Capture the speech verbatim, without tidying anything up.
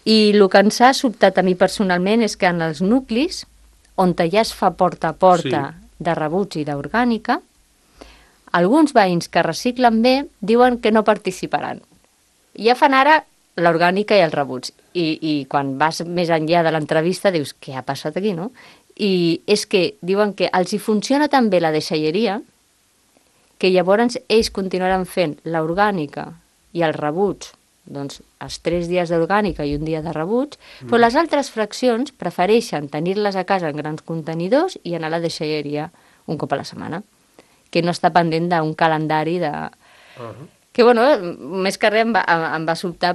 I el que ens ha sobtat a mi personalment és que en els nuclis, on ja es fa porta a porta sí. de rebuig i d'orgànica, alguns veïns que reciclen bé diuen que no participaran. Ja fan ara l'orgànica i el rebuig. I, I quan vas més enllà de l'entrevista dius, què ha passat aquí, no? I és que diuen que els hi funciona tan bé la deixalleria que llavors ells continuaran fent l'orgànica i el rebuig, doncs els tres dies d'orgànica i un dia de rebuig, mm. però les altres fraccions prefereixen tenir-les a casa en grans contenidors i anar a la deixalleria un cop a la setmana, que no està pendent d'un calendari de... Uh-huh. Que, bueno, més que res em va, em va sobtar